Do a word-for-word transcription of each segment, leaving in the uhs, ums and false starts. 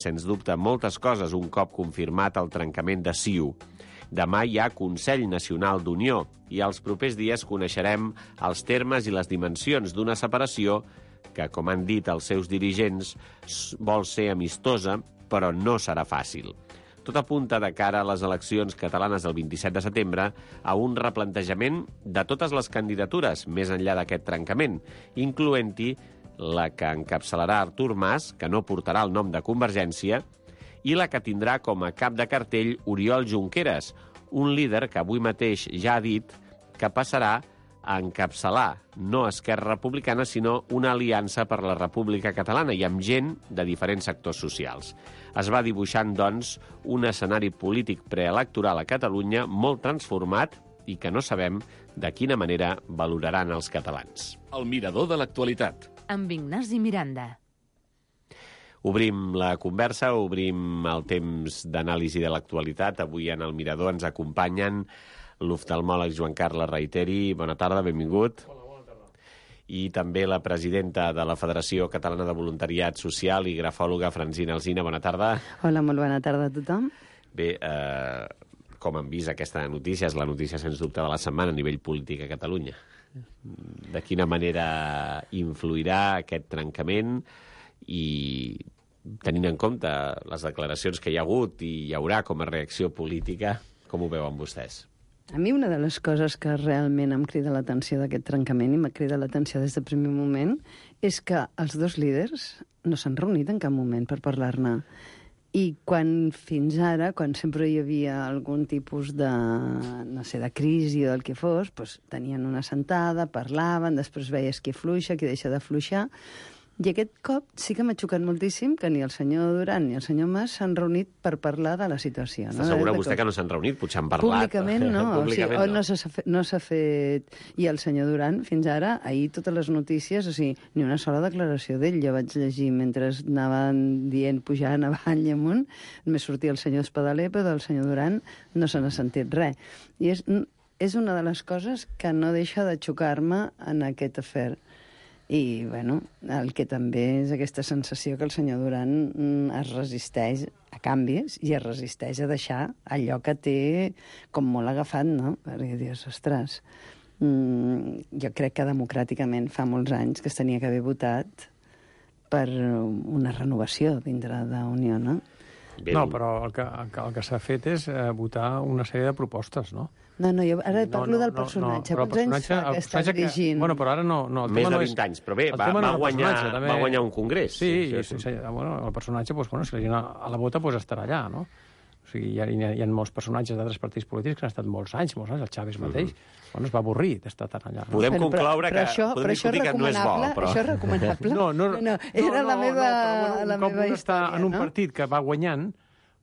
sens dubte, moltes coses un cop confirmat el trencament de C I U. Demà hi ha Consell Nacional d'Unió i els propers dies coneixerem els termes i les dimensions d'una separació que, com han dit els seus dirigents, vol ser amistosa, però no serà fàcil. Tot apunta de cara a les eleccions catalanes del vint-i-set de setembre a un replantejament de totes les candidatures més enllà d'aquest trencament, incloent-hi la que encapçalarà Artur Mas, que no portarà el nom de Convergència, i la que tindrà com a cap de cartell Oriol Junqueras, un líder que avui mateix ja ha dit que passarà a encapçalar no Esquerra Republicana, sinó una aliança per la República Catalana i amb gent de diferents sectors socials. Es va dibuixant, doncs, un escenari polític preelectoral a Catalunya molt transformat i que no sabem de quina manera valoraran els catalans. El mirador de l'actualitat. Amb Ignasi Miranda. Obrim la conversa, obrim el temps d'anàlisi de l'actualitat. Avui en el Mirador ens acompanyen l'oftalmòleg Joan Carles Reiteri. Bona tarda, benvingut. Hola, bona tarda. I també la presidenta de la Federació Catalana de Voluntariat Social i grafòloga Francina Alsina. Bona tarda. Hola, molt bona tarda a tothom. Bé, eh, com han vist aquesta notícia, és la notícia sens dubte de la setmana a nivell polític a Catalunya. De quina manera influirà aquest trencament i tenint en compte les declaracions que hi ha hagut i hi haurà com a reacció política, com ho veuen vostès? A mi una de les coses que realment em crida l'atenció d'aquest trencament i m'ha cridat l'atenció des del primer moment és que els dos líders no s'han reunit en cap moment per parlar-ne. I quan fins ara, quan sempre hi havia algun tipus de, no sé, de crisi o del que fos, doncs tenien una sentada, parlaven, després veies qui fluixa, qui deixa de fluixar. I aquest cop sí que m'ha xocat moltíssim que ni el senyor Duran ni el senyor Mas s'han reunit per parlar de la situació. Està no? segura vostè que no s'han reunit? Potser han parlat. Públicament no. Públicament o sigui, no. No s'ha fet, no s'ha fet... I el senyor Duran, fins ara, ahir totes les notícies, o sigui, ni una sola declaració d'ell. Jo vaig llegir mentre anaven dient, pujant avall i amunt, només sortia el senyor Espadaler, però del senyor Duran no se n'ha sentit res. I és, és una de les coses que no deixa de xocar-me en aquest afer. I, bueno, el que també és aquesta sensació que el senyor Duran es resisteix a canvis i es resisteix a deixar allò que té com molt agafat, no? Perquè dius, ostres, mm, jo crec que democràticament fa molts anys que es tenia que haver votat per una renovació dintre d'Unió, no? Bé, no, però el que, el que, el que s'ha fet és eh, votar una sèrie de propostes, no? No, no, jo ara parlo no, no, del personatge. No, no, Quants anys fa que està dirigint? Que, bueno, però ara no... no Més de no vint és, anys, però bé, va, no va, guanyar, també... va guanyar un congrés. Sí, sí, sí, sí, bueno, el personatge, doncs, bueno, si la gent a la vota, doncs estarà allà, no? O sigui, hi ha, hi ha molts personatges d'altres partits polítics que han estat molts anys, molts anys, el Chávez mateix, mm-hmm. bueno, es va avorrir d'estar tan allà. No? Podem però, concloure però, però que... Això, podem però això discutir que no és bo, però... Això és recomanable? No, no, no, no era no, la meva, no, però, bueno, la un meva cop història, està en un no? partit que va guanyant,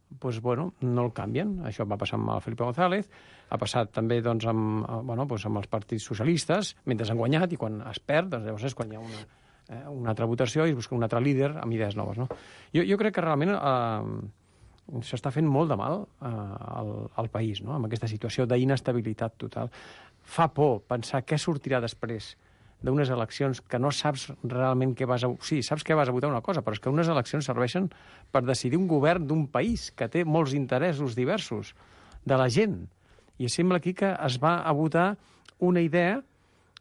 doncs, bueno, no el canvien. Això va passar amb el Felipe González, ha passat també doncs, amb, bueno, doncs, amb els partits socialistes, mentre han guanyat, i quan es perd, doncs llavors és quan hi ha una, eh, una altra votació i es busca un altre líder amb idees noves. No? Jo, jo crec que realment eh, s'està fent molt de mal eh, al, al país, no? Amb aquesta situació d'inestabilitat total. Fa por pensar què sortirà després d'unes eleccions que no saps realment què vas a... Sí, saps que vas a votar una cosa, però és que unes eleccions serveixen per decidir un govern d'un país que té molts interessos diversos de la gent. I sembla aquí que es va a votar una idea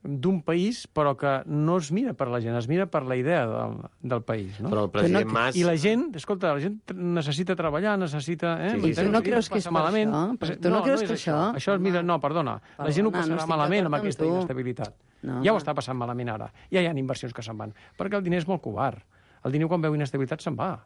d'un país, però que no es mira per la gent, es mira per la idea del, del país. No? Però el president no, Mas... I la gent, escolta, la gent necessita treballar, necessita... Eh? Sí, sí, sí. Tu no creus que és per malament. això? Però tu no, no creus no que això... Això, això mira, no, perdona, Perdona, la gent ho passarà no malament amb aquesta tu. inestabilitat. No, ja ho no. està passant malament ara. Ja hi ha inversions que se'n van. Perquè el diner és molt covard. El diner, quan veu inestabilitat, se'n va.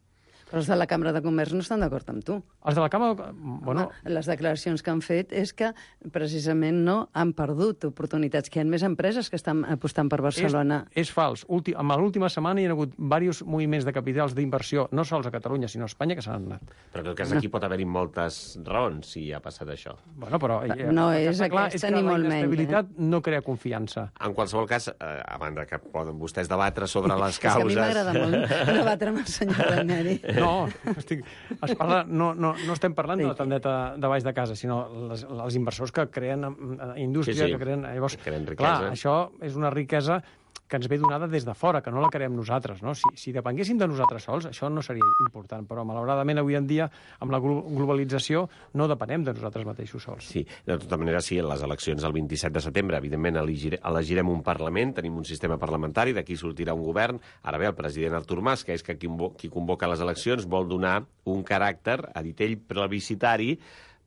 Però els de la Cambra de Comerç no estan d'acord amb tu. Els de la Cambra... Bueno, Home, les declaracions que han fet és que precisament no han perdut oportunitats, que hi ha més empreses que estan apostant per Barcelona. És, és fals. Ulti, en l'última setmana hi ha hagut diversos moviments de capitals d'inversió, no sols a Catalunya, sinó a Espanya, que s'han anat. Però en tot cas aquí pot haver-hi moltes raons si ha passat això. Bueno, però... Eh, No el que és està clar aquesta és que ni la molt menys, inestabilitat no crea confiança. En qualsevol cas, eh, a banda que poden vostès debatre sobre les És que a causes... mi m'agrada molt debatre amb el senyor Ranieri. No, estic, es parla, no, no, no estem parlant de la tendeta de baix de casa, sinó les, els inversors que creen indústria, Sí, sí. que creen... Llavors, Que creen riquesa. clar, això és una riquesa que ens ve donada des de fora, que no la creem nosaltres, no? Si, si depenguéssim de nosaltres sols, això no seria important, però malauradament avui en dia, amb la globalització, no depenem de nosaltres mateixos sols. Sí, de tota manera, sí, en les eleccions del vint-i-set de setembre, evidentment, elegire, elegirem un Parlament, tenim un sistema parlamentari, d'aquí sortirà un govern. Ara bé, el president Artur Mas, que és que qui, qui convoca les eleccions, vol donar un caràcter, ha dit ell, plebiscitari,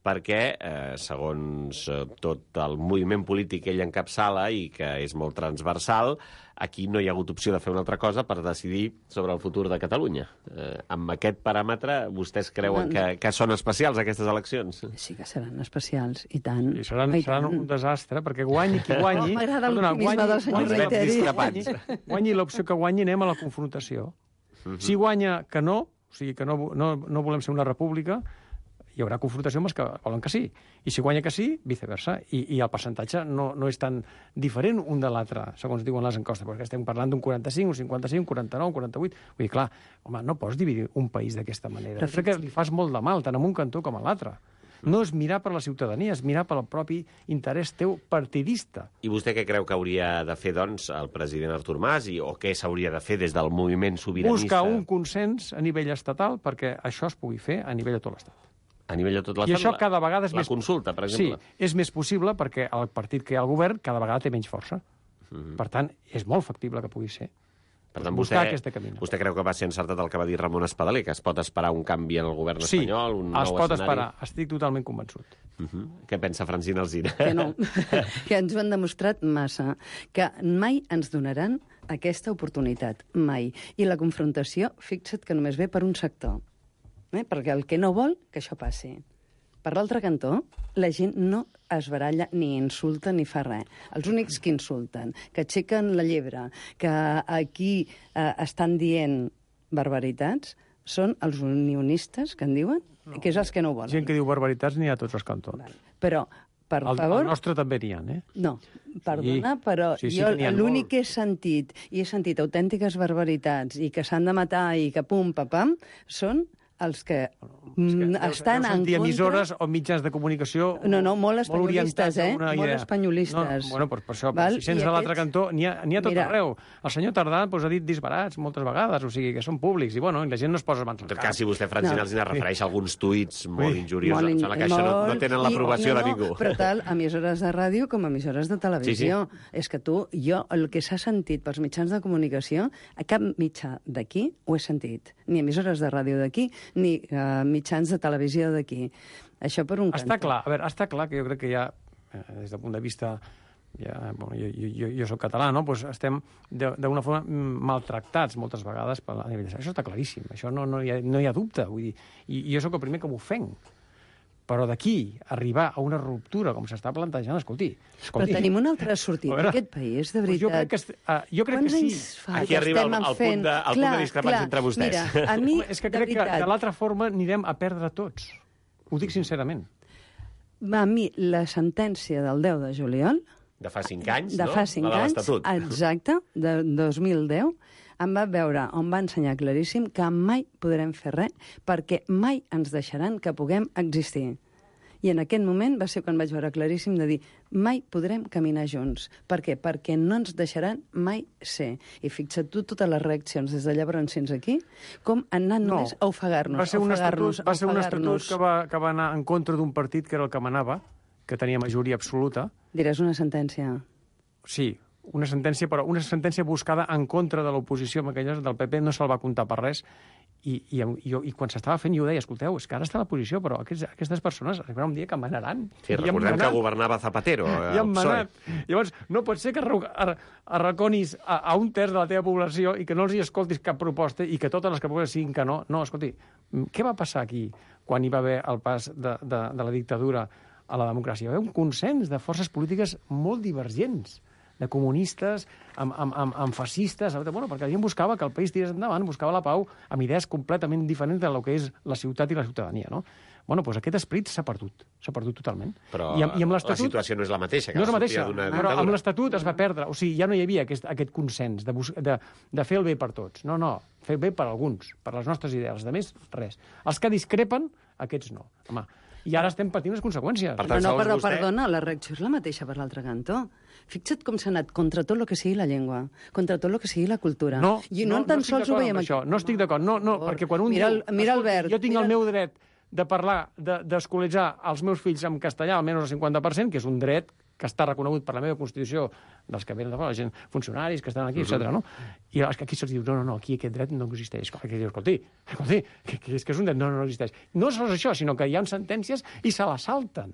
perquè, eh, segons eh, tot el moviment polític que ell encapçala i que és molt transversal, aquí no hi ha hagut opció de fer una altra cosa per decidir sobre el futur de Catalunya. Eh, amb aquest paràmetre, vostès creuen que, que són especials, aquestes eleccions? Sí que seran especials, i tant. I seran, I seran tant. un desastre, perquè guanyi qui guanyi... Oh, m'agrada l'optimisme del senyor Reiteri. Guanyi, guanyi l'opció que guanyi, anem a la confrontació. Uh-huh. Si guanya que no, o sigui que no, no, no volem ser una república, hi haurà confrontació amb els que volen que sí. I si guanya que sí, viceversa. I, i el percentatge no, no és tan diferent un de l'altre, segons diuen les enquestes, perquè estem parlant d'un quaranta-cinc, un cinquanta-cinc, un quaranta-nou, un quaranta-vuit... Vull dir, clar, home, no pots dividir un país d'aquesta manera. Però crec que li fas molt de mal, tant en un cantó com a l'altre. No és mirar per la ciutadania, és mirar pel propi interès teu partidista. I vostè què creu que hauria de fer, doncs, el president Artur Mas, i, o què s'hauria de fer des del moviment sobiranista? Buscar un consens a nivell estatal perquè això es pugui fer a nivell de tot l'Estat. A nivell de tot l'estat, I això cada vegada és la més... consulta, per exemple. Sí, és més possible perquè el partit que hi ha al govern cada vegada té menys força. Mm-hmm. Per tant, és molt factible que pugui ser. Per tant, buscar vostè, aquesta camina. Vostè creu que va ser encertat el que va dir Ramon Espadaler, que es pot esperar un canvi en el govern sí, espanyol, un nou es pot escenari? esperar. Estic totalment convençut. Uh-huh. Què pensa Francina Alsina? Que no, que ens ho han demostrat massa, que mai ens donaran aquesta oportunitat, mai. I la confrontació, fixa't que només ve per un sector. Eh? Perquè el que no vol, que això passi. Per l'altre cantó, la gent no es baralla ni insulta ni fa res. Els únics que insulten, que aixequen la llebre, que aquí eh, estan dient barbaritats, són els unionistes, que en diuen, no, que és els que no ho volen. Gent que diu barbaritats n'hi ha a tots els cantons. Val. Però, per el, favor... El nostre també n'hi ha, eh? No, perdona, sí. però sí, sí, jo molt. l'únic que he sentit, i he sentit autèntiques barbaritats, i que s'han de matar, i que pum, papam, són els que, és que estan en contra... emissores o mitjans de comunicació... No, no, molt espanyolistes, eh? Molt idea. espanyolistes. No, bueno, doncs per això, Val? si sents I de l'altre aquests... cantó, n'hi ha, ha tot Mira... arreu. El senyor Tardà doncs, ha dit disbarats moltes vegades, o sigui, que són públics, i bueno, la gent no es posa mans al cap. En tot cap. cas, si vostè, Francina No. Alsina, refereix a alguns tuits molt Sí. injuriosos, Molt in- em sembla que això no, no molt- tenen l'aprovació i- no, de ningú. No, però tal, emissores de ràdio com emissores de televisió. Sí, És que tu, jo, el que s'ha sentit pels mitjans de comunicació, a cap mitjà d'aquí ho he sentit. Ni emissores de ràdio d'aquí, ni uh, mitjans de televisió d'aquí. Això per un cantó. Està clar, a veure, està clar que jo crec que ja, eh, des del punt de vista... Ja, bueno, jo, jo, jo soc català, no? Pues estem d'una forma maltractats moltes vegades per la nivell. Això està claríssim, això no, no, hi ha, no hi ha dubte. Vull dir, i, i jo sóc el primer que m'ofenc. Però d'aquí arribar a una ruptura, com s'està plantejant, escolti... escolti Però tenim una altra sortida veure, d'aquest país, de veritat. Pues jo crec que, uh, jo crec que Quants sí. anys fa Aquí que arriba estem el- el fent? punt de- el punt de discrepància entre vostès. Mira, a mi, És que de crec que veritat, de l'altra forma anirem a perdre tots. Ho dic sincerament. a mi la sentència del deu de juliol, De fa cinc anys, de no? fa cinc La de anys, l'Estatut. exacte, de dos mil deu, em va veure, on va ensenyar claríssim que mai podrem fer res perquè mai ens deixaran que puguem existir. I en aquest moment va ser quan vaig veure claríssim de dir mai podrem caminar junts. Per què? Perquè no ens deixaran mai ser. I fixa't tu totes les reaccions des de llavors fins aquí, com han anat No. només a ofegar-nos, Va ser un ofegar-nos, estatut, va ser un estatut ofegar-nos. que va, que va anar en contra d'un partit que era el que manava, que tenia majoria absoluta. Diràs una sentència. Sí, una sentència, però una sentència buscada en contra de l'oposició, amb aquelles del P P no se'l va comptar per res, i, i, i, i quan s'estava fent jo deia, escolteu, és que ara està a l'oposició, però aquests, aquestes persones arribarà un dia que manaran. Sí, I han recordem manat, que governava Zapatero. I han el P S O E. manat. Llavors, no pot ser que arro- ar- arraconis a, a un terç de la teva població i que no els hi escoltis cap proposta i que totes les que propostes siguin que no. No, escolti, què va passar aquí quan hi va haver el pas de, de, de la dictadura a la democràcia? Hi va haver un consens de forces polítiques molt divergents, de comunistes, amb, amb, amb, amb fascistes, bueno, perquè la gent buscava que el país tirés endavant, buscava la pau amb idees completament diferents de lo que és la ciutat i la ciutadania, no? Bueno, doncs aquest esperit s'ha perdut, s'ha perdut totalment. Però I amb, i amb la l'Estatut- situació no és la mateixa, que no és la la mateixa, sortida d'una però amb dictadura. l'Estatut es va perdre. O sigui, ja no hi havia aquest, aquest consens de, bus de, de fer el bé per tots. No, no, fer el bé per alguns, per les nostres idees. Els altres, res. Els que discrepen, aquests no. Home, i ara estem patint les conseqüències. Per tant, no, no, segons però, vostè- perdona, la reacció és la mateixa per l'altre cantó. Fixa't com s'ha anat contra tot el que sigui la llengua, contra tot el que sigui la cultura. No, I no, no, tan no estic sols ho d'acord veiem amb això. No estic d'acord. No, no, perquè quan un mira el, diu... mira escolti, Albert, jo tinc mira... el meu dret de parlar, de- d'escolaritzar els meus fills en castellà, almenys el cinquanta per cent, que és un dret que està reconegut per la meva Constitució dels que venen de fora, la gent, funcionaris que estan aquí, uh -huh. etcètera. No? I és que aquí se'ls diu, no, no, no, aquí aquest dret no existeix. Aquí dius, escolti, escolti, que, que és que és un dret, no, no existeix. No sols això, sinó que hi ha sentències i se la salten.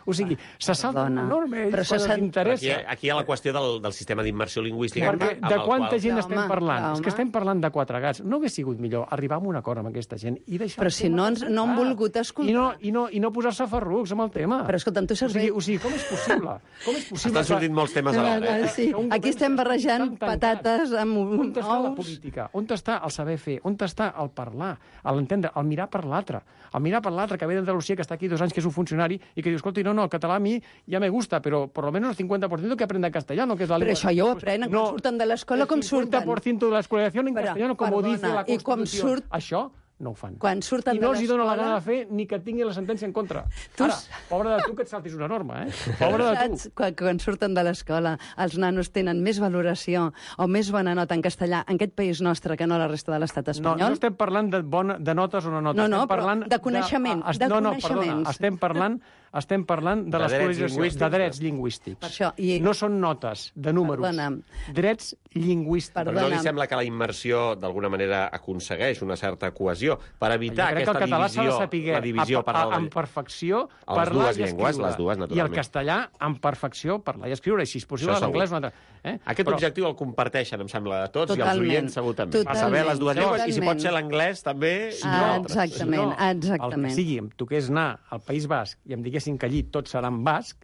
O sigui, se salten perdona, una norma, ells però quan se els sent- interessa. Aquí, aquí hi ha la qüestió del, del sistema d'immersió lingüística. Perquè amb de el quanta qual... gent Home, estem parlant? home. És que estem parlant de quatre gats. No hagués sigut millor arribar a un acord amb aquesta gent i deixar... Però el si tema no ens- no han tancat. volgut escoltar. I no, i no, i no posar-se ferrucs amb el tema. Però, escolta'm, tu saps O sigui, bé- o sigui, com és possible? Com és possible? Estan sortint molts temes alhora, eh? Sí, Que un aquí govern estem barrejant tan tancat. patates amb On està la ous. política? On està el saber fer? On està el parlar? L'entendre? El mirar per l'altre? El mirar per l'altre, que ve d'Andalusia, que està aquí dos anys, que és un funcionari, i que diu, escolta, no, no, el català a mi ja me gusta, però por lo menos el cincuenta por ciento que aprenda castellano, que és la Però lengua... això ja ho aprenen, quan surten de l'escola, com surten? El cincuenta por ciento de la escolarización en Però, castellano, como perdona, dice la i com Constitució. surt- Això no ho fan. Quan surten I no de els hi dona la l'escola- gana de fer ni que tinguin la sentència en contra. Tu Ara, s- pobre de tu que et saltis una norma, eh? Pobre de tu. Saps? Quan, quan surten de l'escola, els nanos tenen més valoració o més bona nota en castellà en aquest país nostre que no a la resta de l'estat No, espanyol? no estem parlant de, bona, de notes o no notes. No, no, estem però parlant de coneixement, es- de no, no, coneixements. perdona, estem parlant, estem parlant de, De drets l'escolarització, lingüístics, de drets no? lingüístics. Per això, i- No són notes de números. Perdona. Drets lingüístics. Però no Perdona. li sembla que la immersió d'alguna manera aconsegueix una certa cohesió per evitar Jo crec que aquesta el català s'ha de divisió, saber la divisió a, per a, la... en perfecció A les parlar dues i llengües, escriure. les dues, I el naturalment. castellà en perfecció parlar i escriure, i si és possible Això segur. l'anglès un altre. Eh? Aquest Però- objectiu el comparteixen, em sembla, de tots, Totalment. i els oients segur també. A Totalment. saber les dues llengües, i si pot Totalment. ser l'anglès també... i Ah, altres. exactament, El exactament. que sigui, em toqués anar al País Basc i em diguessin que allí tot serà en basc,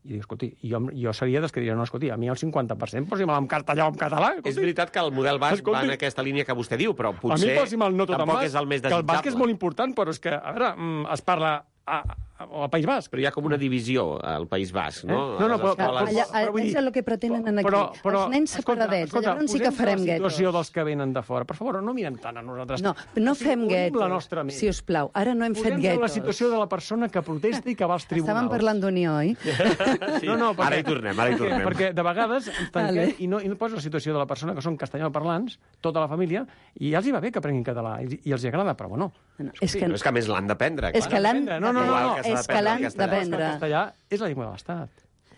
i dic, escolti, jo, jo seria dels que diria, no, escolti, a mi el cinquanta per cent posi-me'l en castellà o en català. És Escolti. veritat que el model basc Escolti. va en aquesta línia que vostè diu, però A mi potser posi'm el no tot en tampoc basc, és el més que el desitjable. basc és molt important, però és que, a veure, mm, es parla a, a, al País Basc. Però hi ha com una divisió al País Basc, no? Eh? No, no, A les però- escoles- Allà, però vull dir- és el que pretenen aquí. Però, però, els nens separadets, llavors sí que farem posem-nos a la guetos. situació dels que venen de fora. Per favor, no mirem tant a nosaltres. No, no O sigui, fem obrim guetos, la nostra ment. si us plau. Ara no hem fet Posem-nos en la guetos. situació de la persona que protesta i que va als tribunals. Estàvem parlant d'Unió, oi? Sí. No, no, perquè, Ara hi tornem, ara hi perquè, tornem. perquè de vegades ens tanquem Vale. i no, i no posa la situació de la persona que són castellanoparlants, tota la família, i ja els hi va bé que aprenguin català, i, i els hi agrada, però bueno. No, és que, Però és que a més l'han d'aprendre. és que l'han No, no, no, Igual no, que s'ha és que d'aprendre l'han el castellà. d'aprendre. El castellà és la llengua de l'Estat.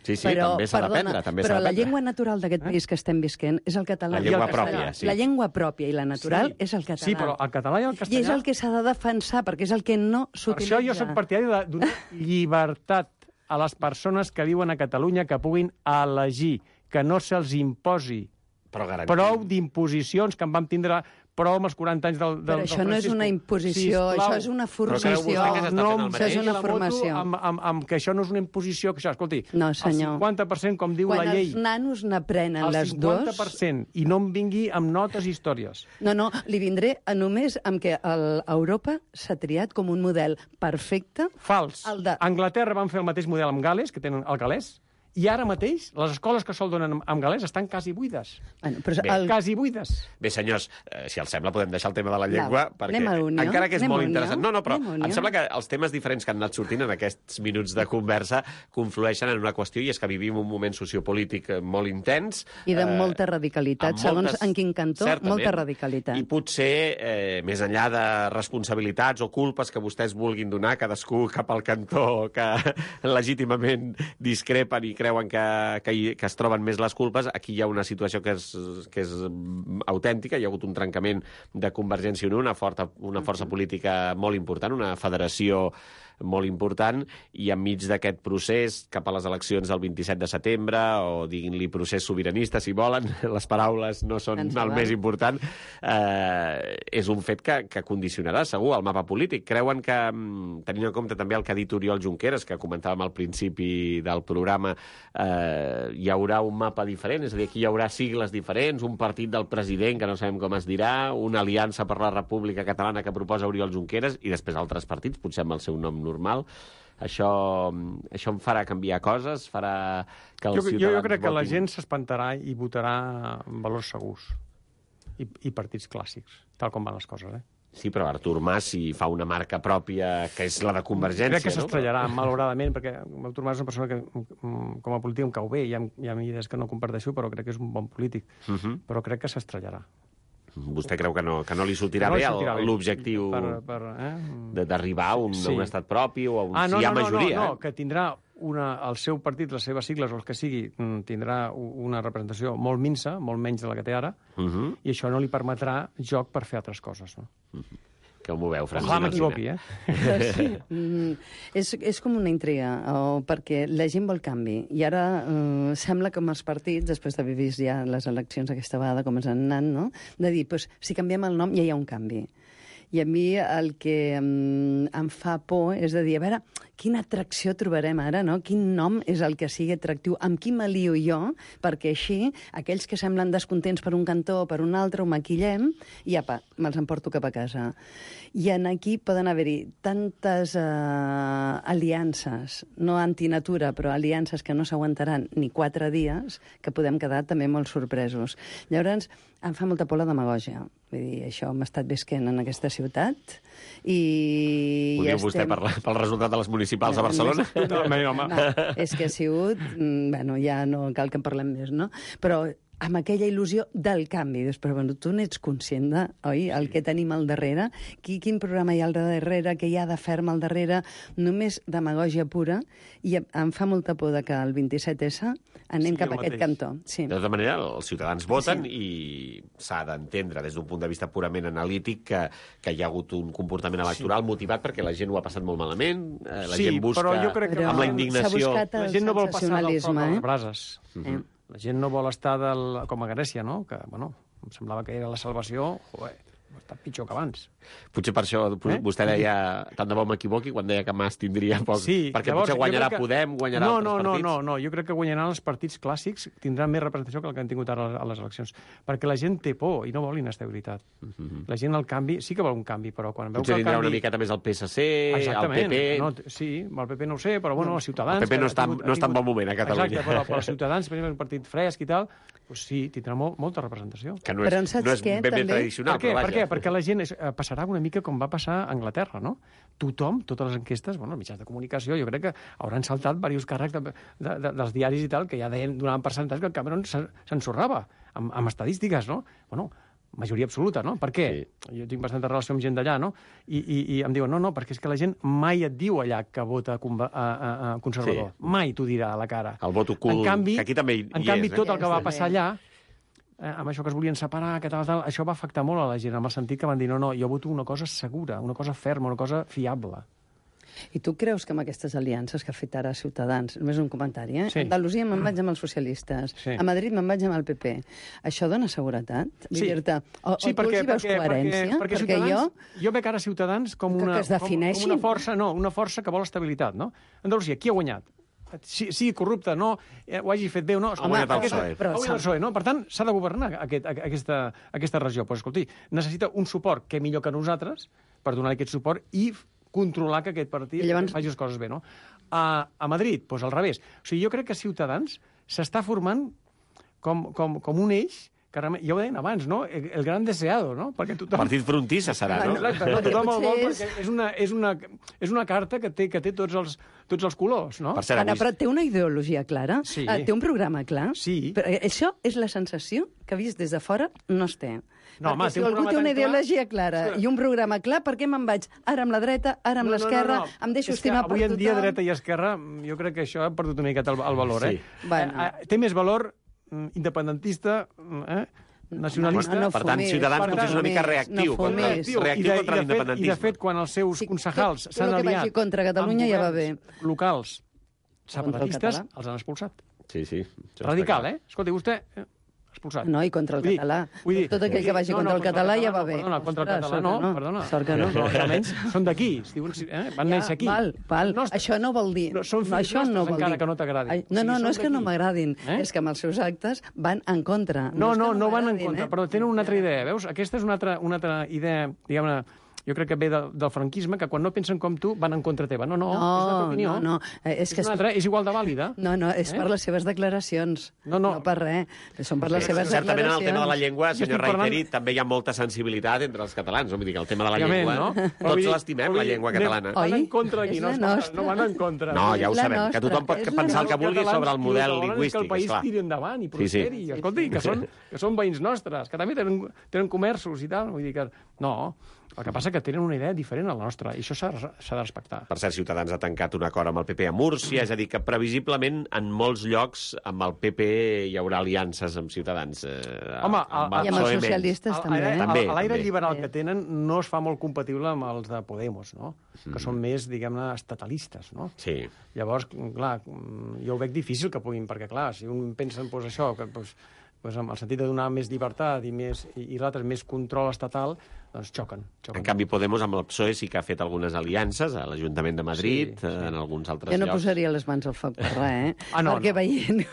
Sí, sí, també s'ha d'aprendre. També s'ha però la d'aprendre. llengua natural d'aquest país que estem visquent és el català. La I llengua el castellà. pròpia, sí. La llengua pròpia i la natural Sí. és el català. Sí, però el català i el castellà... I és el que s'ha de defensar, perquè és el que no Per s'utilitza. això jo soc partidari de donar llibertat a les persones que viuen a Catalunya que puguin elegir, que no se'ls imposi. Però garantim. Prou d'imposicions que en vam tindre prou amb els quaranta anys del, del, Però això del no és Francisco. una imposició, Sisplau. això és una Però creu formació. vostè que s'està No fent el em Això és mateix? una la moto formació. Amb, amb, amb que això no és una imposició, que això, escolti, No, senyor. el cinquanta per cent, com diu Quan la llei, els nanos n'aprenen el les cinquanta dues... per cent, i no em vingui amb notes i històries. No, no, li vindré a només amb que el, Europa s'ha triat com un model perfecte. Fals. El de- Anglaterra van fer el mateix model amb Gales, que tenen el galès, i ara mateix les escoles que sol donen amb galès estan quasi buides. Bueno, però Bé, el, Quasi buides. Bé, senyors, eh, si els sembla podem deixar el tema de la llengua, Va, perquè anem a Unió, encara que és anem a molt Unió, interessant... No, no, però anem a Unió. em sembla que els temes diferents que han anat sortint en aquests minuts de conversa conflueixen en una qüestió, i és que vivim un moment sociopolític eh, molt intens. I de eh, molta radicalitat, amb segons moltes- en quin cantó, certament, molta radicalitat. I potser, eh, més enllà de responsabilitats o culpes que vostès vulguin donar, cadascú cap al cantó que legítimament discrepen i creuen que, que, hi, que es troben més les culpes, aquí hi ha una situació que és, que és mm, autèntica. Hi ha hagut un trencament de Convergència i Unió, una, forta, una força política molt important, una federació molt important, i enmig d'aquest procés cap a les eleccions del vint-i-set de setembre, o diguin-li procés sobiranista, si volen, les paraules no són Ens el val. més important, eh, és un fet que, que condicionarà segur el mapa polític. Creuen que, mm, tenint en compte també el que ha dit Oriol Junqueras, que comentàvem al principi del programa, eh, hi haurà un mapa diferent, és a dir, aquí hi haurà sigles diferents, un partit del president que no sabem com es dirà, una aliança per la República Catalana que proposa Oriol Junqueras, i després altres partits, potser amb el seu nom normal. Això, això em farà canviar coses, farà que els Jo, jo, ciutadans jo crec que la votin. gent s'espantarà i votarà en valors segurs i, i partits clàssics, tal com van les coses, eh? Sí, però Artur Mas, si fa una marca pròpia, que és la de Convergència... Crec que no? s'estrellarà, malauradament, perquè Artur Mas és una persona que, com a polític, em cau bé. Hi ha, hi ha idees que no comparteixo, però crec que és un bon polític. Uh -huh. Però crec que s'estrellarà. Vostè creu que no, que no li sortirà no bé sortirà l'objectiu eh? d'arribar a, un, sí. a un estat propi o a un, ah, no, si hi ha no, majoria? No, no, no, que tindrà una, el seu partit, les seves sigles o el que sigui, tindrà una representació molt minsa, molt menys de la que té ara, uh -huh. i això no li permetrà joc per fer altres coses. No? Uh -huh. Que ho moveu, Francina. Ojalà m'equivoqui, eh? Sí. Mm, és, és com una intriga, o perquè la gent vol canvi. I ara eh, sembla com els partits, després d'haver vist ja les eleccions aquesta vegada, com ens han anat, no? de dir, pues, si canviem el nom ja hi ha un canvi. I a mi el que em, em fa por és de dir, a veure, quina atracció trobarem ara, no? Quin nom és el que sigui atractiu? Amb qui m'alio jo? Perquè així, aquells que semblen descontents per un cantó o per un altre, ho maquillem i apa, me'ls emporto cap a casa. I en aquí poden haver-hi tantes eh, aliances, no antinatura, però aliances que no s'aguantaran ni quatre dies, que podem quedar també molt sorpresos. Llavors, em fa molta por la demagògia. Vull dir, això hem estat visquent en aquesta ciutat i... Ho diu ja vostè estem... per, la, pel resultat de les municipals a Barcelona? No, no, home. No, és que ha sigut... Bueno, ja no cal que en parlem més, no? Però amb aquella il·lusió del canvi. Després, bueno, tu n'ets conscient de, oi, el que tenim al darrere? Qui, quin programa hi ha al darrere? Què hi ha de ferm al darrere? Només demagògia pura. I em fa molta por de que el vint-i-set essa anem Sí, cap a el aquest mateix. cantó. Sí. De tota manera, els ciutadans voten Sí. i s'ha d'entendre des d'un punt de vista purament analític que, que hi ha hagut un comportament electoral sí. motivat perquè la gent ho ha passat molt malament, eh, la Sí, gent busca però jo crec que amb la S'ha indignació... buscat La el gent no vol passar del foc sensacionalisme, a les eh? brases. Eh? La gent no vol estar del, com a Grècia, no? Que, bueno, em semblava que era la salvació. Joder, està pitjor que abans. Potser per això eh? vostè deia, tant de bo m'equivoqui, quan deia que Mas tindria poc... Sí, perquè llavors, potser guanyarà que... Podem, guanyarà no, altres no, partits. No, no, no, jo crec que guanyaran els partits clàssics, tindran més representació que el que han tingut ara a les eleccions. Perquè la gent té por i no vol inestabilitat. Uh -huh. La gent, el canvi, sí que vol un canvi, però quan veu potser que el tindrà canvi... una miqueta més el P S C, Exactament. el P P... No, sí, el P P no ho sé, però bueno, els Ciutadans... El P P no que està, ha tingut, no està en ha tingut... bon moment a Catalunya. Exacte, però, però els Ciutadans, per exemple, un partit fresc i tal, doncs sí, tindrà molt, molta representació. Que no és, Però saps no és què, ben bé també? tradicional, Per què? però Per vaja. què? Perquè la gent és, eh, passarà una mica com va passar a Anglaterra, no? Tothom, totes les enquestes, bueno, els mitjans de comunicació, jo crec que hauran saltat diversos càrrecs de, de, de, dels diaris i tal, que ja deien, donaven percentatge que el Cameron s'ensorrava amb, amb estadístiques, no? Bueno, majoria absoluta, no? Per què? Sí. Jo tinc bastanta relació amb gent d'allà, no? I, i, I em diuen, no, no, perquè és que la gent mai et diu allà que vota a, a, a conservador. Sí. Mai t'ho dirà a la cara. El vot ocult, en canvi, que aquí també hi, en hi canvi, és. Eh? tot el que va Sí, passar també. allà, eh, amb això que es volien separar, que tal, tal, això va afectar molt a la gent, en el sentit que van dir, no, no, jo voto una cosa segura, una cosa ferma, una cosa fiable. I tu creus que amb aquestes aliances que ha fet ara Ciutadans, només un comentari, eh? Sí. A Andalusia me'n vaig amb els socialistes, Sí. a Madrid me'n vaig amb el P P. Això dona seguretat? Vull Sí. dir-te, o, Sí, o tu perquè, els hi veus perquè, coherència? perquè, perquè, Ciutadans, jo... jo veig ara Ciutadans com Que- una, que es com, defineixin. com una força, no, una força que vol estabilitat, no? Andalusia, qui ha guanyat? Sí, sigui corrupte, no, eh, ho hagi fet bé o no. Ha guanyat el aquesta- PSOE. ha guanyat el PSOE, no? Per tant, s'ha de governar aquest, aquesta, aquesta regió. Pues, escolti, necessita un suport que millor que nosaltres per donar aquest suport i controlar que aquest partit I llavors- faci les coses bé, no? A, a Madrid, doncs al revés. O sigui, jo crec que Ciutadans s'està formant com, com, com un eix que realment, ja ho deien abans, no? El, el gran deseado, no? Perquè tothom... Partit frontissa serà, no? Exacte, no? Perquè Tothom el vol potser és- perquè és una, és una, és una carta que té, que té tots, els, tots els colors, no? Per cert, Anna, avui... però té una ideologia clara? Sí. Eh, té un programa clar? Sí. Però això és la sensació que, vist des de fora, no es té. No, home, Perquè si té un algú programa té una tan clar- ideologia clara Escolta. i un programa clar, per què me'n vaig ara amb la dreta, ara amb No, no, l'esquerra, no, no. em deixo És que estimar per avui en tothom? dia, dreta i esquerra, jo crec que això ha perdut una miqueta el, el valor, eh? Sí. Bueno. Eh, eh, Té més valor mm, independentista, mm, eh? nacionalista... No, no, Per tant, fumis, Ciutadans per potser és una tant, mica no reactiu fumis. contra, reactiu. reactiu I de, contra i de fet, I de l'independentisme. fet, quan els seus Sí, concejals tot- tot s'han el que aliat... vagi contra Catalunya amb ja va governs bé. locals separatistes, català. els han expulsat. Sí, sí. això està Radical, clar. eh? Escolti, vostè... Eh, expulsat. No, i contra el Vull dir- català. vull dir- Tot aquell que vagi no, contra no, el català ja va no, bé. Perdona, contra el Ostres, català sort no, que no. perdona. Sort que no. Però almenys són d'aquí, es diuen, eh? van néixer aquí. Val, val. No, Això no vol dir... No, són fills això no nostres, vol encara dir. que no t'agradin. Ai, O No, sigui, no, són no és que no d'aquí. m'agradin, Eh? és que amb els seus actes van en contra. No, és que no, no van en m'agradin, contra, eh? però tenen una altra idea, veus? Aquesta és una altra, una altra idea, diguem-ne, jo crec que ve de, del franquisme, que quan no pensen com tu van en contra teva. No, no, No, és la teva opinió. no, no. Eh, És És, que una és- altra, és igual de vàlida. No, no, és Eh? per les seves declaracions. No, no. No per res. Són per les Sí, seves certament en el declaracions. tema de la llengua, Jo senyor estic parlant- Reiteri, també hi ha molta sensibilitat entre els catalans. No? Vull dir que el tema de la Òbviament, llengua, no? Però vull tots dir- l'estimem, vull la dir, llengua anem- catalana. Oi? Van en contra d'aquí, És no, la es van- nostra. no van en contra. No, ja ho És la sabem, que nostra, tothom pot és la pensar el que nostra. vulgui sobre el model volen lingüístic, que el país esclar. tiri endavant i Sí, sí. prosperi. Sí, sí. Escolti, que són, que són veïns nostres, que també tenen, tenen comerços i tal. Vull dir que... No, el que passa que tenen una idea diferent a la nostra, i això s'ha s'ha de respectar. Per cert, Ciutadans ha tancat un acord amb el P P a Múrcia, és a dir, que previsiblement en molts llocs amb el P P hi haurà aliances amb Ciutadans. Eh, Home, amb a- I amb els P S O E menys. socialistes A- també. a- eh? També, a- a L'aire també. liberal Sí. que tenen no es fa molt compatible amb els de Podemos, no? Mm. Que són més, diguem-ne, estatalistes, no? Sí. Llavors, clar, jo ho veig difícil que puguin, perquè, clar, si un pensa en pues, això, que, pues, pues, en el sentit de donar més llibertat i, més, i, i l'altre més control estatal, doncs xoquen. xoquen. En canvi, Podemos amb el P S O E sí que ha fet algunes aliances a l'Ajuntament de Madrid, Sí, sí. en alguns altres Jo no llocs. posaria les mans al foc per res, eh? Ah, no, Perquè no. veient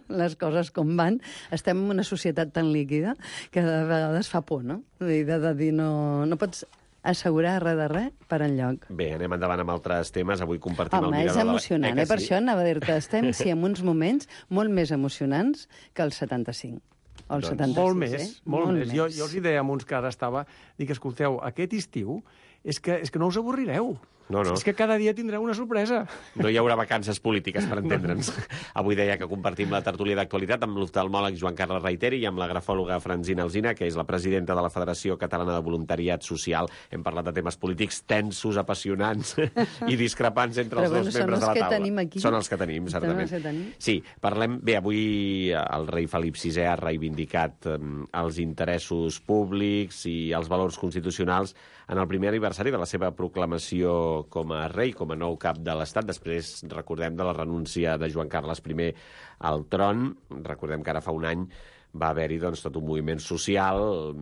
les coses com van, estem en una societat tan líquida que de vegades fa por, no? Vull dir, de, de dir, no, no pots assegurar res de res per enlloc. Bé, anem endavant amb altres temes. Avui compartim Home, el és mirador de la- emocionant, eh? que Per sí? això anava a dir-te, estem, sí, en uns moments molt més emocionants que el setanta-cinc. O el Doncs setanta-sis, Molt més, eh? molt, més. Jo, jo els hi deia a uns que ara estava, dic, escolteu, aquest estiu és que, és que no us avorrireu. No, no. És que cada dia tindreu una sorpresa. No hi haurà vacances polítiques, per entendre'ns. Avui deia que compartim la tertúlia d'actualitat amb l'oftalmòleg Joan Carles Reiteri i amb la grafòloga Francina Alsina, que és la presidenta de la Federació Catalana de Voluntariat Social. Hem parlat de temes polítics tensos, apassionants i discrepants entre Però els bueno, dos són membres els de la que taula. tenim aquí. Són els que tenim, Són certament. els que tenim. Sí, parlem... Bé, avui el rei Felip sisè ha reivindicat eh, els interessos públics i els valors constitucionals en el primer aniversari de la seva proclamació com a rei, com a nou cap de l'Estat. Després, recordem, de la renúncia de Joan Carles I al tron. Recordem que ara fa un any va haver-hi doncs, tot un moviment social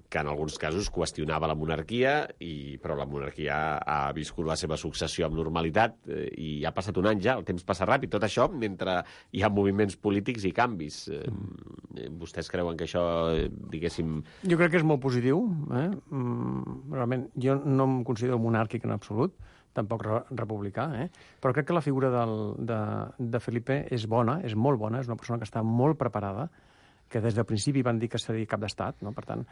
que en alguns casos qüestionava la monarquia, i, però la monarquia ha viscut la seva successió amb normalitat eh, i ha passat un any ja, el temps passa ràpid. Tot això mentre hi ha moviments polítics i canvis. Eh, vostès creuen que això, eh, diguéssim... Jo crec que és molt positiu. Eh? Mm, realment, jo no em considero monàrquic en absolut, tampoc re republicà, eh? Però crec que la figura del, de, de Felipe és bona, és molt bona, és una persona que està molt preparada, que des del principi van dir que seria cap d'estat, no? Per tant,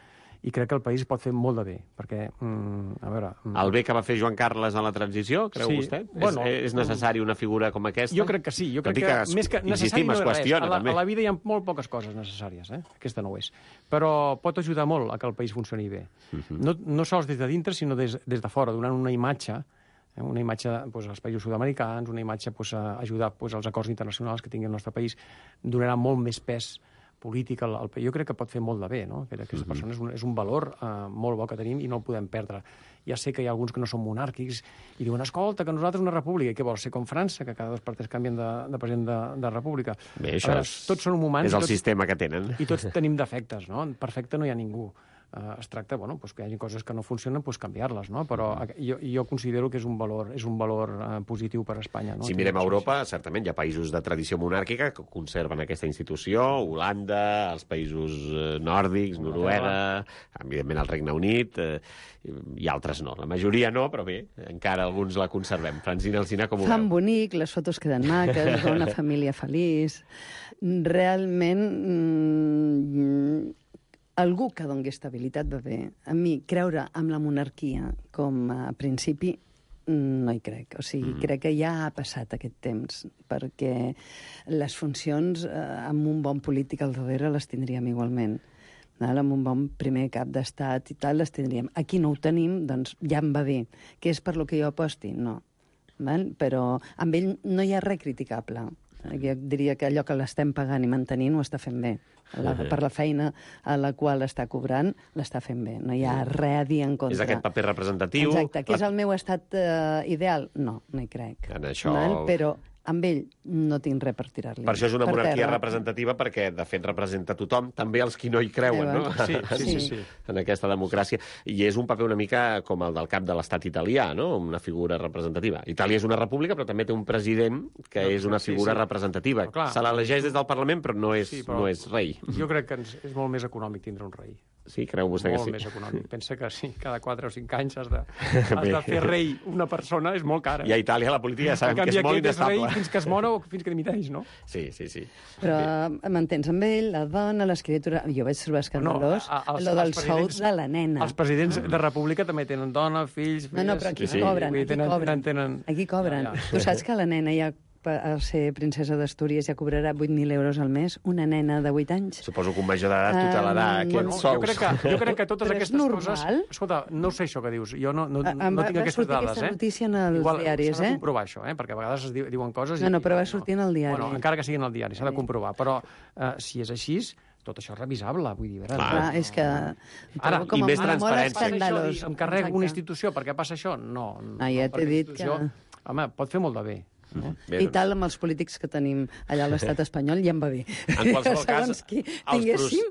i crec que el país pot fer molt de bé, perquè, mm, a veure... Mm, El bé que va fer Joan Carles en la transició, creu Sí, vostè? bueno, és, és necessari una figura com aquesta? Jo crec que sí. Jo Tot crec i que, es- més que necessari insistim, no es és res. qüestiona, A la, també. a la vida hi ha molt poques coses necessàries, eh? Aquesta no ho és. Però pot ajudar molt a que el país funcioni bé. Uh -huh. no, no sols des de dintre, sinó des, des de fora, donant una imatge, eh? una imatge doncs, als països sud-americans, una imatge doncs, a ajudar doncs, als acords internacionals que tingui el nostre país, donarà molt més pes polític al, al país. Jo crec que pot fer molt de bé, no? Que aquesta uh-huh. persona és un, és un valor eh, molt bo que tenim i no el podem perdre. Ja sé que hi ha alguns que no són monàrquics i diuen, escolta, que nosaltres una república, i què vols ser com França, que cada dos per tres canvien de, de president de, de república. Bé, A això veure, és, tots són humans és el tots, sistema que tenen. i tots tenim defectes, no? Perfecte no hi ha ningú. Uh, es tracta, bueno, pues que hi hagi coses que no funcionen, pues canviar-les, no? Però uh, jo, jo considero que és un valor, és un valor uh, positiu per a Espanya, no? Si mirem a Europa, certament hi ha països de tradició monàrquica que conserven aquesta institució, Holanda, els països eh, nòrdics, Noruega, evidentment el Regne Unit, eh, i altres no. La majoria no, però bé, encara alguns la conservem. Francina Alsina, com ho Fan veu? bonic, les fotos queden maques, va una família feliç. Realment, mm, algú que doni estabilitat va bé. A mi, creure en la monarquia com a principi, no hi crec. O sigui, mm. crec que ja ha passat aquest temps, perquè les funcions eh, amb un bon polític al darrere les tindríem igualment. Val? Amb un bon primer cap d'estat i tal les tindríem. Aquí no ho tenim, doncs ja em va bé. Què és per lo que jo aposti? No. Val? Però amb ell no hi ha res criticable. Jo diria que allò que l'estem pagant i mantenint ho està fent bé. La, per la feina a la qual està cobrant, l'està fent bé. No hi ha res a dir en contra. És aquest paper representatiu. Exacte. Que és el meu estat eh, ideal? No, no hi crec. En això- Val? Però amb ell no tinc res per tirar-li. Per això és una per monarquia terra. representativa, perquè, de fet, representa tothom, també els qui no hi creuen, no? Veus? Sí, sí, sí, sí. En aquesta democràcia. I és un paper una mica com el del cap de l'estat italià, no? Una figura representativa. Itàlia és una república, però també té un president que No, és una sí, figura sí. representativa. Però clar. Se l'elegeix des del Parlament, però no és, Sí, però- no és rei. Jo crec que ens, és molt més econòmic tindre un rei. Sí, creu vostè que molt sí? més econòmic. Pensa que sí, cada quatre o cinc anys has de, has de fer rei una persona, és molt cara. I a Itàlia la política ja sabem en canvi, que és molt aquest és rei inestable. fins que es mor o fins que dimiteix, no? Sí, sí, sí. Però m'entens amb ell, la dona, l'escriptura... Jo vaig trobar escandalós a- a- els- lo del els sou presidents- de la nena. Els presidents de república també tenen dona, fills, filles... No, no, però aquí Sí, sí. cobren, Vull dir, aquí tenen- cobren. tenen- Aquí cobren. Ja, ja. Tu saps que la nena ja, per ser princesa d'Astúries, ja cobrarà vuit mil euros al mes? Una nena de vuit anys? Suposo que un major d'edat tutelarà Um, aquests bueno, sous. Jo crec, que, jo crec que totes Però és aquestes normal? coses... Escolta, no sé això que dius. Jo no, no, Ah, em no va- tinc va aquestes sortir dades, aquesta eh? notícia en els Igual, diaris, s'ha de eh? comprovar això, eh? Perquè a vegades es di- diuen coses... No, i, no, però va i sortir en el diari. Bueno, encara que sigui en el diari, s'ha de comprovar. Però eh, si és així, tot això és revisable, vull dir... Veure, Clar, és que... Ara, trobo com i a més molt transparència. escandalós. Això, i em carrega Exacte. una institució perquè passa això? No. no Ah, ja t'he perquè dit institució, que- Home, pot fer molt de bé. Eh? Bé, I tal, amb els polítics que tenim allà a l'estat espanyol, ja em va bé. En qualsevol cas, Segons qui els tinguéssim,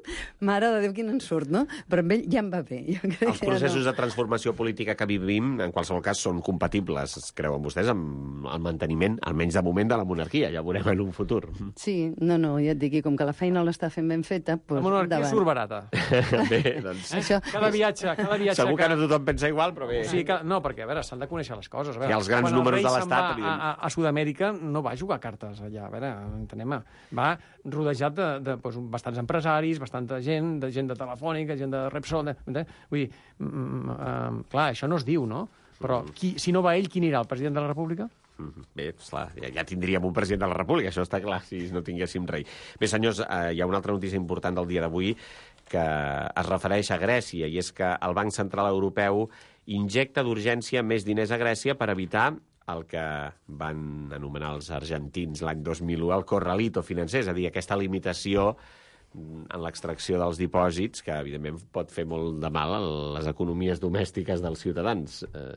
mare de Déu, quin ensurt, no? Però amb ell ja em va bé. Jo crec Els que processos no. de transformació política que vivim, en qualsevol cas, són compatibles, creuen vostès, amb el manteniment, almenys de moment, de la monarquia. Ja ho veurem en un futur. Sí, no, no, ja et dic, i com que la feina l'està fent ben feta, doncs La monarquia endavant. surt barata. Bé, doncs... Això... Cada viatge, cada viatge... Segur que no tothom pensa igual, però bé... O sigui que, no, perquè, a veure, s'han de conèixer les coses. A veure, I els grans quan números el rei de se'n l'Estat, va evident. A, a, a Sud-amèrica no va jugar cartes allà, a veure, entenem. Va rodejat de, de doncs, bastants empresaris, bastanta gent, de gent de Telefònica, gent de Repsol... De, de, vull dir, mm, uh, clar, això no es diu, no? Però qui, si no va ell, qui anirà? El president de la República? Mhm. Bé, esclar, ja, ja tindríem un president de la República, això està clar, si no tinguéssim rei. Bé, senyors, eh, hi ha una altra notícia important del dia d'avui que es refereix a Grècia, i és que el Banc Central Europeu injecta d'urgència més diners a Grècia per evitar el que van anomenar els argentins l'any dos mil u el corralito financer, és a dir, aquesta limitació en l'extracció dels dipòsits, que evidentment pot fer molt de mal a les economies domèstiques dels ciutadans. Eh,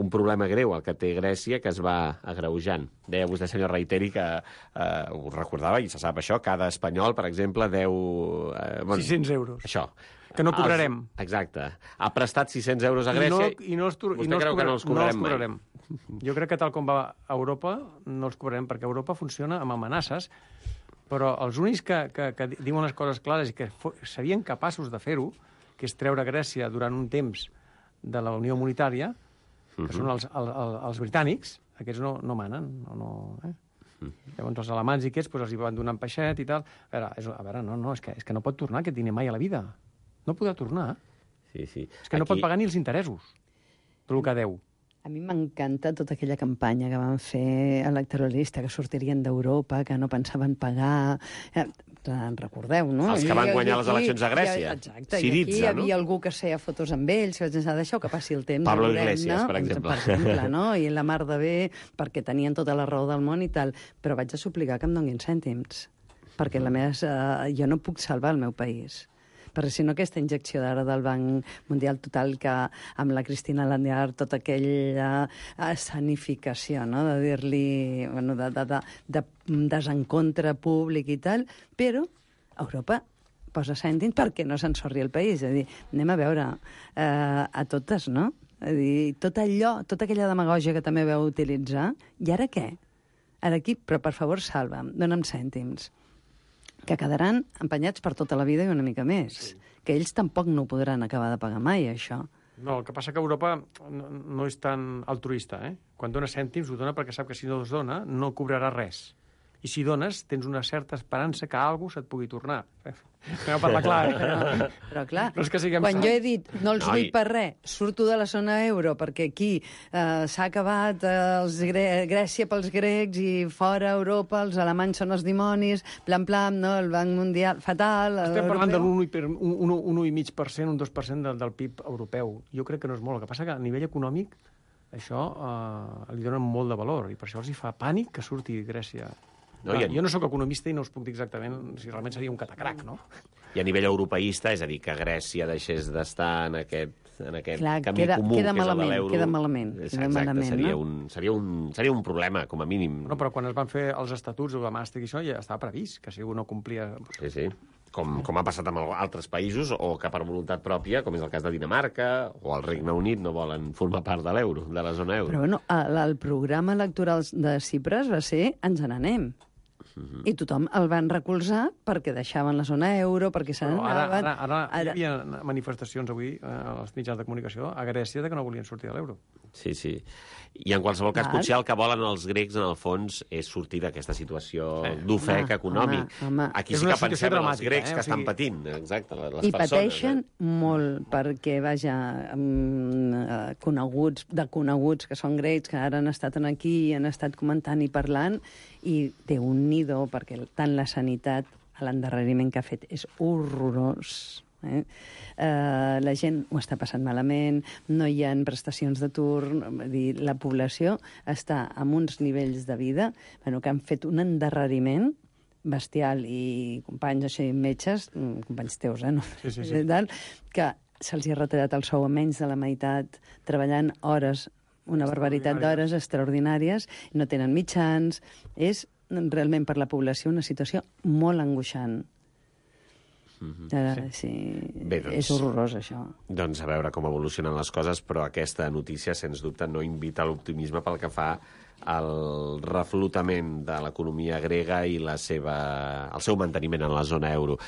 un problema greu, el que té Grècia, que es va agreujant. Deia vostè, senyor Reiteri, que eh, ho recordava, i se sap això, cada espanyol, per exemple, deu... Eh, bueno, sis-cents euros. Això. Que no cobrarem. Els, exacte. Ha prestat sis-cents euros a I no, Grècia i no els, tur- i vostè no els, creu que cobra- no els cobrarem, no els cobrarem. Jo crec que tal com va a Europa, no els cobrarem, perquè Europa funciona amb amenaces, però els únics que, que, que diuen les coses clares i que fo- serien capaços de fer-ho, que és treure Grècia durant un temps de la Unió Monetària, que són els, el, el, els britànics, aquests no, no manen, no, no, eh? Llavors els alemans i aquests doncs, els hi van donar un peixet i tal. A veure, és, a veure no, no, és, que, és que no pot tornar aquest diner mai a la vida. No podrà tornar. Sí, sí. És que no pot pagar ni els interessos per el que deu. A mi m'encanta tota aquella campanya que van fer electoralista, que sortirien d'Europa, que no pensaven pagar... Eh, en recordeu, no? Els que van I- i guanyar les aquí- eleccions a Grècia. i- Exacte, Syriza, i aquí hi havia no? algú que feia fotos amb ells, que vaig pensar, deixeu que passi el temps. Pablo ja veurem, Iglesias, no? per exemple. Per exemple, no? I la mar de bé, perquè tenien tota la raó del món i tal. Però vaig a suplicar que em donin cèntims, perquè la meva, eh, jo no puc salvar el meu país. Perquè si no, aquesta injecció d'ara del Banc Mundial total que amb la Cristina Landiar tota aquella escenificació, no?, de dir-li, bueno, de, de, de, de desencontre públic i tal, però Europa posa cèntims perquè no s'ensorri el país. És a dir, anem a veure eh, a totes, no? És a dir, tot allò, tota aquella demagògia que també veu utilitzar, i ara què? Ara aquí, però per favor, salva'm, dona'm cèntims, que quedaran empenyats per tota la vida i una mica més. Sí. Que ells tampoc no ho podran acabar de pagar mai, això. No, el que passa que Europa no, no és tan altruista, eh? Quan dona cèntims, ho dona perquè sap que si no els dona, no cobrarà res. I si dones, tens una certa esperança que algú se't pugui tornar. Anem a parlar clar, eh? Però, però clar, No és que siguem quan sants. jo he dit no els Noi. vull per res, surto de la zona euro perquè aquí eh, s'ha acabat eh, els gre Grècia pels grecs i fora Europa els alemanys són els dimonis, plan plan, no? El Banc Mundial, fatal. Estem parlant de l'europeu. l'un coma cinc per cent, un dos per cent del, del P I B europeu. Jo crec que no és molt. El que passa que a nivell econòmic això eh, li donen molt de valor i per això els hi fa pànic que surti Grècia. No, Clar, i en- Jo no sóc economista i no us puc dir exactament si realment seria un catacrac, no? I a nivell europeista, és a dir, que Grècia deixés d'estar en aquest, en aquest Clar, camí queda- comú, queda que és el de malament, l'euro. queda malament, És, queda exacte, malament, seria, no? un, seria, un, seria un problema, com a mínim. No, però quan es van fer els estatuts de Maastricht i això ja estava previst, que si algú no complia... Sí, sí. Com, com ha passat amb altres països, o que per voluntat pròpia, com és el cas de Dinamarca, o el Regne Unit, no volen formar part de l'euro, de la zona euro. Però bueno, el, el programa electoral de Cipres va ser ens n'anem. I tothom el van recolzar perquè deixaven la zona euro, perquè se Però ara, n'anaven... ara, ara, ara hi havia manifestacions avui eh, als mitjans de comunicació a Grècia de que no volien sortir de l'euro. Sí, sí. I en qualsevol cas, Clar. potser el que volen els grecs, en el fons, és sortir d'aquesta situació Sí. d'ofec Home, econòmic. home, home. Aquí És sí una que situació pensem en els dramàtica, grecs eh? que O sigui- estan patint, exacte, les I persones. pateixen Eh? molt, perquè, vaja, mm, eh, coneguts, de coneguts que són grecs, que ara han estat aquí i han estat comentant i parlant, i té un nido, perquè tant la sanitat, l'endarreriment que ha fet és horrorós. Eh? Uh, la gent ho està passant malament, no hi ha prestacions d'atur, vull dir, la població està amb uns nivells de vida bueno, que han fet un endarreriment bestial, i companys així, metges, mm, companys teus, eh? No? Sí, sí, sí. Tal, que se'ls ha retallat el sou a menys de la meitat, treballant hores, una barbaritat d'hores extraordinàries, no tenen mitjans, és realment per la població una situació molt angoixant. Mm-hmm. Sí. Sí. Bé, doncs- És horrorós, això. Doncs a veure com evolucionen les coses, però aquesta notícia, sens dubte, no invita a l'optimisme pel que fa al reflotament de l'economia grega i la seva, el seu manteniment en la zona euro.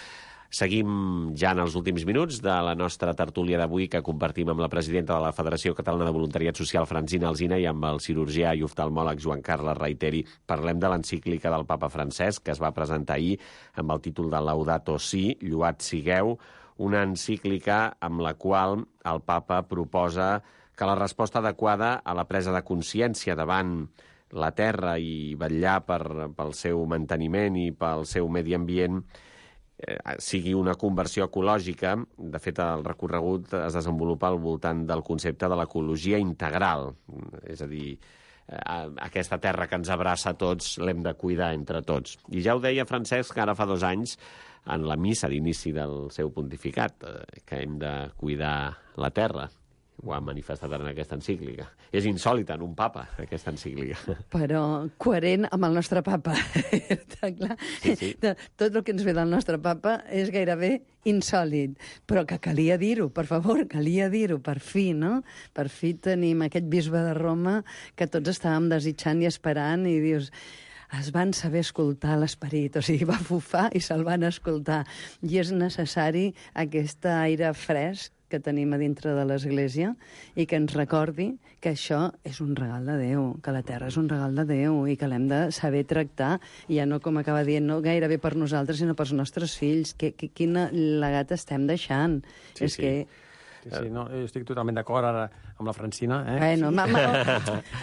Seguim ja en els últims minuts de la nostra tertúlia d'avui, que compartim amb la presidenta de la Federació Catalana de Voluntariat Social, Francina Alsina, i amb el cirurgià i oftalmòleg Joan Carles Reiteri. Parlem de l'encíclica del papa Francesc, que es va presentar ahir amb el títol de Laudato Si, Lloat sigueu, una encíclica amb la qual el papa proposa que la resposta adequada a la presa de consciència davant la terra i vetllar per, pel seu manteniment i pel seu medi ambient eh, sigui una conversió ecològica. De fet, el recorregut es desenvolupa al voltant del concepte de l'ecologia integral. És a dir, eh, aquesta terra que ens abraça a tots l'hem de cuidar entre tots. I ja ho deia Francesc ara fa dos anys en la missa d'inici del seu pontificat, eh, que hem de cuidar la terra. Ho ha manifestat en aquesta encíclica. És insòlita en un papa, aquesta encíclica. Però coherent amb el nostre papa. Està clar? Sí, sí. Tot el que ens ve del nostre papa és gairebé insòlid, però que calia dir-ho, per favor, calia dir-ho, per fi, no? Per fi tenim aquest bisbe de Roma que tots estàvem desitjant i esperant, i dius, es van saber escoltar l'esperit, o sigui, va fufar i se'l van escoltar. I és necessari aquest aire fresc que tenim a dintre de l'Església i que ens recordi que això és un regal de Déu, que la terra és un regal de Déu i que l'hem de saber tractar, i ja no, com acaba dient, no gairebé per nosaltres, sinó pels nostres fills. Que, que, quina legat estem deixant. Sí, és sí. que... Sí, sí, no, jo estic totalment d'acord ara amb la Francina. Eh? Bueno, ma, ma,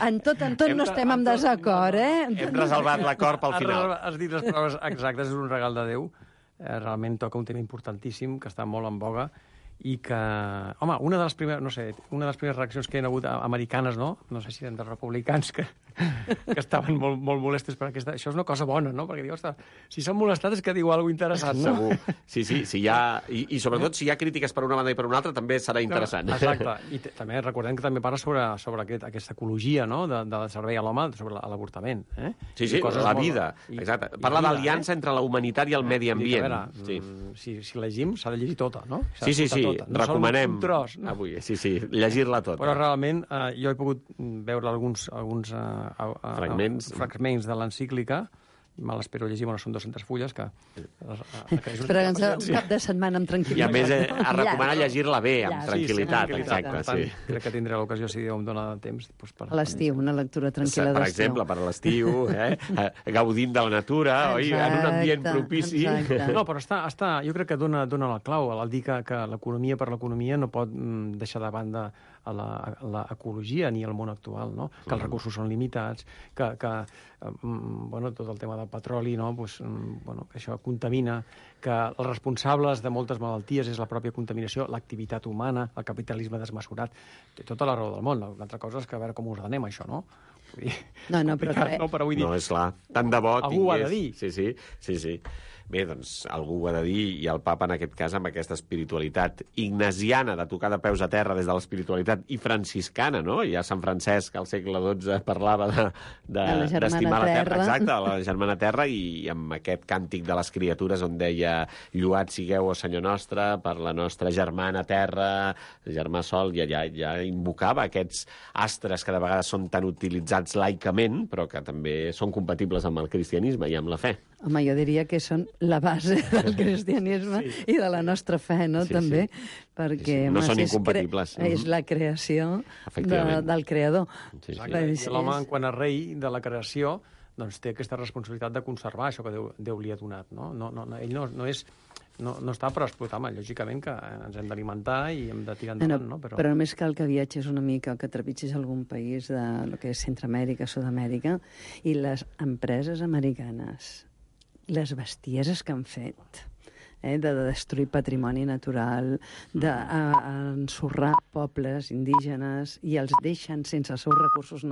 en tot, en tot Hem no de- estem en desacord, eh? Hem reservat l'acord pel Has final. reservat- Has dit les paraules exactes, és un regal de Déu. Eh, realment toca un tema importantíssim, que està molt en boga, i que, home, una de les primeres, no sé, una de les primeres reaccions que hi ha hagut a- americanes, no? No sé si eren dels republicans, que, que estaven molt, molt molestes per aquesta... Això és una cosa bona, no? Perquè diu, ostres, si s'han molestat és que diu alguna cosa interessant, no? Segur. Sí, sí, sí hi ha... I, I sobretot si hi ha crítiques per una banda i per una altra també serà interessant. Exacte. I t- també recordem que també parla sobre, sobre aquest, aquesta ecologia, no?, de, del servei a l'home, sobre la- l'avortament. Eh? Sí, sí, I coses la molt- vida. i- Exacte. i Parla vida, d'aliança eh? entre la humanitat i el medi I dic, ambient. a veure, Sí. mm, si, si llegim, s'ha de llegir tota, no? S'ha Sí, sí, d'escoltar sí, tota. No sol recomanem un tros, no? avui, sí, sí, llegir-la tota. Però realment eh, jo he pogut veure alguns, alguns eh, a, a, Fragments. fragments de l'encíclica, me l'espero llegir, bueno, són dues-centes fulles, que... que, que és Però una un cap de setmana amb I a tranquil·litat. més, eh, no? a recomanar Ja. llegir-la bé, amb Ja, tranquil·litat, sí, sí, exacte, Per tant, sí. crec que tindré l'ocasió, si Déu em dona temps. Doncs, per... A l'estiu, una lectura tranquil·la Per d'estiu. exemple, per a l'estiu, eh? gaudint de la natura, oi? En un ambient Exacte, propici. exacte. No, però està, està, jo crec que dona, dona la clau al dir que, que l'economia per l'economia no pot mm, deixar de banda a la, a l'ecologia ni al món actual, no? Que els recursos són limitats, que, que mm, bueno, tot el tema del petroli, no? Pues, mm, bueno, que això contamina, que els responsables de moltes malalties és la pròpia contaminació, l'activitat humana, el capitalisme desmesurat, té tota la raó del món. L'altra cosa és que a veure com ordenem això, no? Vull dir, No, no, però complicat, que- no, però vull dir, No, és clar. Tant de bo Algú ho ha tingués... de dir. Sí, sí, sí, sí. Bé, doncs algú ho ha de dir, i el papa en aquest cas amb aquesta espiritualitat ignasiana, de tocar de peus a terra des de l'espiritualitat, i franciscana, no? Ja Sant Francesc al segle dotze parlava de, de, De la germana d'estimar la terra. terra. Exacte, la germana terra, i amb aquest càntic de les criatures on deia lloat sigueu, o Senyor nostre, per la nostra germana terra, germà sol, i allà ja invocava aquests astres que de vegades són tan utilitzats realitzats laicament, però que també són compatibles amb el cristianisme i amb la fe. Home, jo diria que són la base del cristianisme sí. i de la nostra fe, no?, sí, també, sí. perquè Sí, sí. No home, són és incompatibles. Cre... És la creació de, del creador. Sí, sí. I l'home, quan és rei de la creació, doncs té aquesta responsabilitat de conservar això que Déu, Déu li ha donat, no? No, no, no ell no, no és... No, no està per explotar, home, lògicament que ens hem d'alimentar i hem de tirar endavant, no? Però... però només cal que viatges una mica o que trepitgis algun país de lo que és Centroamèrica, Sud-amèrica, i les empreses americanes, les bestieses que han fet, eh, de destruir patrimoni natural, d'ensorrar pobles indígenes i els deixen sense els seus recursos naturals,